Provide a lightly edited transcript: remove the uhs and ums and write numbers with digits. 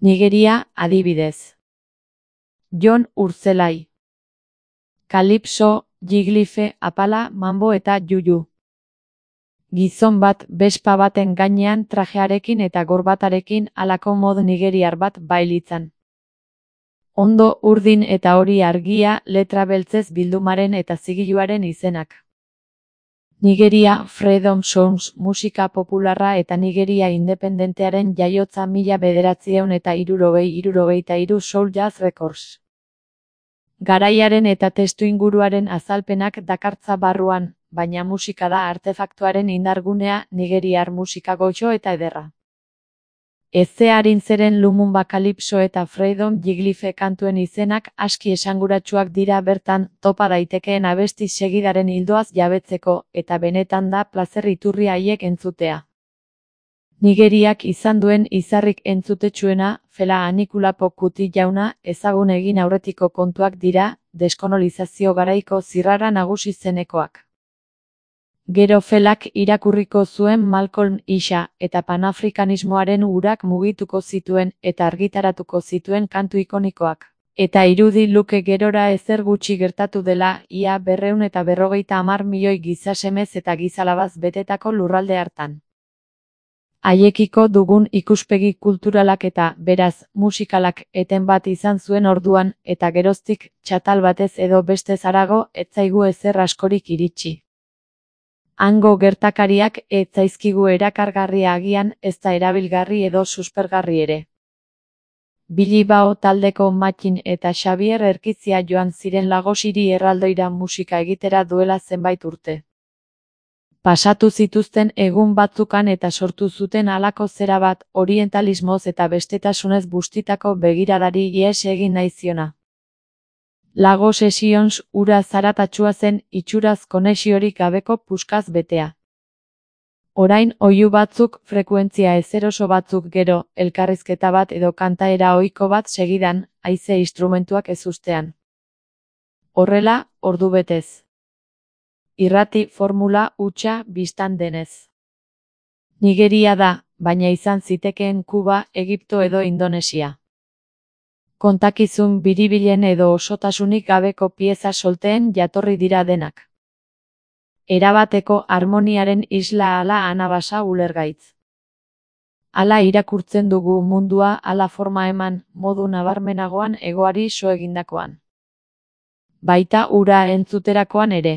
Nigeria, adibidez. Jon Urtzelai. Kalipso, jiglife, apala, mambo eta juju. Gizon bat bespa baten gainean trajearekin eta gorbatarekin halako mod nigeriar bat bailitzan. Ondo urdin eta hori argia letra beltzez bildumaren eta zigiluaren izenak. Nigeria Freedom Songs musika popularra eta Nigeria independentearen jaiotza 1963 Soul Jazz Records. Garaiaren eta testuinguruaren azalpenak dakartza barruan, baina musika da artefaktuaren indargunea, nigeriar musika goxo eta ederra. Ezearin zeren Lumumba Kalipso eta Freedom jiglife kantuen izenak aski esanguratsuak dira bertan topa daitekeen abesti segidaren ildoaz jabetzeko eta benetan da plazer iturri haiek entzutea. Nigeriak izan duen izarrik entzutetsuena, Fela Anikulapo Kuti jauna, ezagun egin aurretiko kontuak dira, deskolonizazio garaiko zirrara nagusi zenekoak. Gero Felak irakurriko zuen Malcolm Isa eta panafrikanismoaren urak mugituko zituen eta argitaratuko zituen kantu ikonikoak. Eta irudi luke gerora ezer gutxi gertatu dela, ia 250 milioi gizasemez eta gizalabaz betetako lurralde hartan. Haiekiko dugun ikuspegi kulturalak eta, beraz, musikalak eten bat izan zuen orduan, eta geroztik, txatal batez edo bestez harago, ez zaigu ezer askorik iritsi. Hango gertakariak ez zaizkigu erakargarria agian, ez da erabilgarri edo suspergarri ere. Bilibao taldeko Mattin eta Xabier Erkizia joan ziren Lagosiri erraldoira musika egitera duela zenbait urte. Pasatu zituzten egun batzukan eta sortu zuten halako zera bat, orientalismoz eta bestetasunez bustitako begiradari ihes egin nahi ziona. Lagos Sessions ura zaratatsua zen, itxuraz konexiorik gabeko puskaz betea. Orain oihu batzuk, frekuentzia ezeroso batzuk gero, elkarrizketa bat edo kantaera ohiko bat segidan, haize instrumentuak ezustean. Horrela, ordubetez. Irrati formula hutsa bistan denez. Nigeria da, baina izan zitekeen Kuba, Egipto edo Indonesia. Kontakizun biribilen edo osotasunik gabeko pieza solteen jatorri dira denak. Erabateko harmoniaren isla ala anabasa ulergaitz. Hala irakurtzen dugu mundua, hala forma eman, modu nabarmenagoan egoari so egindakoan. Baita ura entzuterakoan ere.